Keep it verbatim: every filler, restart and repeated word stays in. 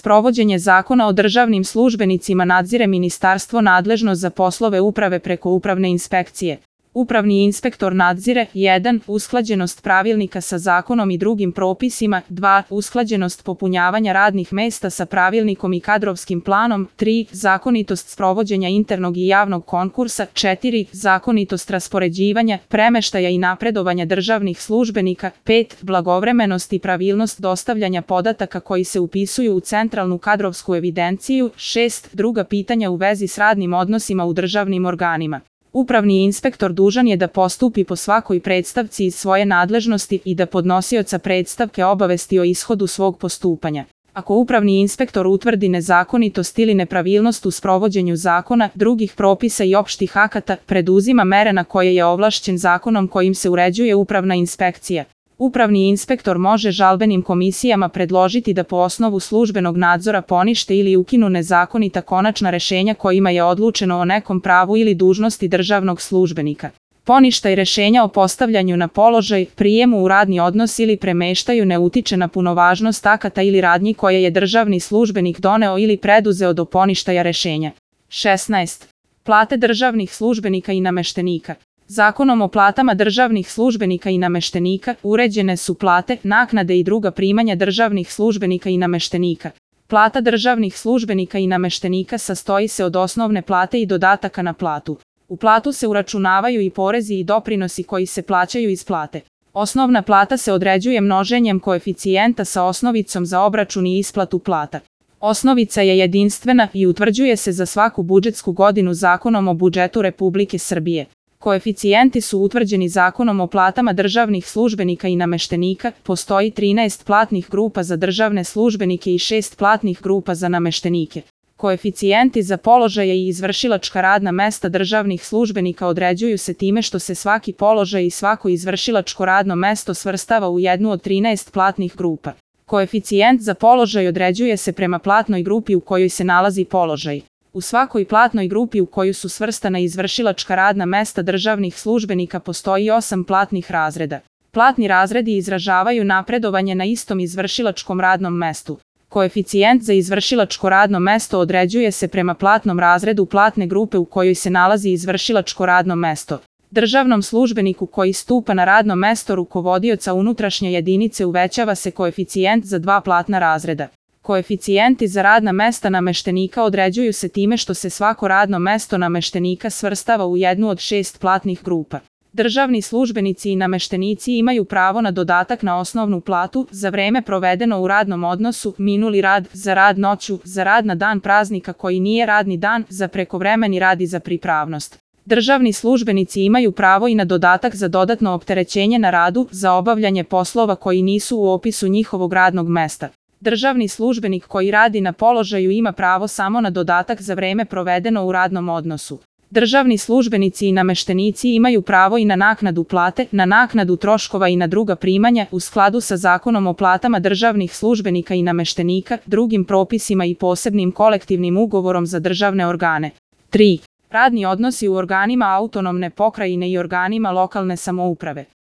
Sprovođenje Zakona o državnim službenicima nadzire ministarstvo nadležno za poslove uprave preko upravne inspekcije. Upravni inspektor nadzire jedan. Usklađenost pravilnika sa zakonom i drugim propisima, dva. Usklađenost popunjavanja radnih mesta sa pravilnikom i kadrovskim planom, tri. Zakonitost sprovođenja internog i javnog konkursa, četiri. Zakonitost raspoređivanja, premeštaja i napredovanja državnih službenika, pet. Blagovremenost i pravilnost dostavljanja podataka koji se upisuju u centralnu kadrovsku evidenciju, šest. Druga pitanja u vezi s radnim odnosima u državnim organima. Upravni inspektor dužan je da postupi po svakoj predstavci iz svoje nadležnosti i da podnosioca predstavke obavesti o ishodu svog postupanja. Ako upravni inspektor utvrdi nezakonitost ili nepravilnost u sprovođenju zakona, drugih propisa i opštih akata, preduzima mere na koje je ovlašćen zakonom kojim se uređuje upravna inspekcija. Upravni inspektor može žalbenim komisijama predložiti da po osnovu službenog nadzora ponište ili ukinu nezakonita konačna rešenja kojima je odlučeno o nekom pravu ili dužnosti državnog službenika. Poništaj rešenja o postavljanju na položaj, prijemu u radni odnos ili premeštaju ne utiče na punovažnost akata ili radnji koje je državni službenik doneo ili preduzeo do poništaja rešenja. šesnaest. Plate državnih službenika i nameštenika. Zakonom o platama državnih službenika i nameštenika uređene su plate, naknade i druga primanja državnih službenika i nameštenika. Plata državnih službenika i nameštenika sastoji se od osnovne plate i dodataka na platu. U platu se uračunavaju i porezi i doprinosi koji se plaćaju iz plate. Osnovna plata se određuje množenjem koeficijenta sa osnovicom za obračun i isplatu plata. Osnovica je jedinstvena i utvrđuje se za svaku budžetsku godinu Zakonom o budžetu Republike Srbije. Koeficijenti su utvrđeni Zakonom o platama državnih službenika i nameštenika, postoji trinaest platnih grupa za državne službenike i šest platnih grupa za nameštenike. Koeficijenti za položaje i izvršilačka radna mesta državnih službenika određuju se time što se svaki položaj i svako izvršilačko radno mesto svrstava u jednu od trinaest platnih grupa. Koeficijent za položaj određuje se prema platnoj grupi u kojoj se nalazi položaj. U svakoj platnoj grupi u koju su svrstana izvršilačka radna mesta državnih službenika postoji osam platnih razreda. Platni razredi izražavaju napredovanje na istom izvršilačkom radnom mestu. Koeficijent za izvršilačko radno mesto određuje se prema platnom razredu platne grupe u kojoj se nalazi izvršilačko radno mesto. Državnom službeniku koji stupa na radno mesto rukovodioca unutrašnje jedinice uvećava se koeficijent za dva platna razreda. Koeficijenti za radna mesta nameštenika određuju se time što se svako radno mesto nameštenika svrstava u jednu od šest platnih grupa. Državni službenici i nameštenici imaju pravo na dodatak na osnovnu platu za vreme provedeno u radnom odnosu, minuli rad, za rad noću, za rad na dan praznika koji nije radni dan, za prekovremeni rad i za pripravnost. Državni službenici imaju pravo i na dodatak za dodatno opterećenje na radu, za obavljanje poslova koji nisu u opisu njihovog radnog mesta. Državni službenik koji radi na položaju ima pravo samo na dodatak za vreme provedeno u radnom odnosu. Državni službenici i nameštenici imaju pravo i na naknadu plate, na naknadu troškova i na druga primanja u skladu sa Zakonom o platama državnih službenika i nameštenika, drugim propisima i posebnim kolektivnim ugovorom za državne organe. tri. Radni odnosi u organima autonomne pokrajine i organima lokalne samouprave.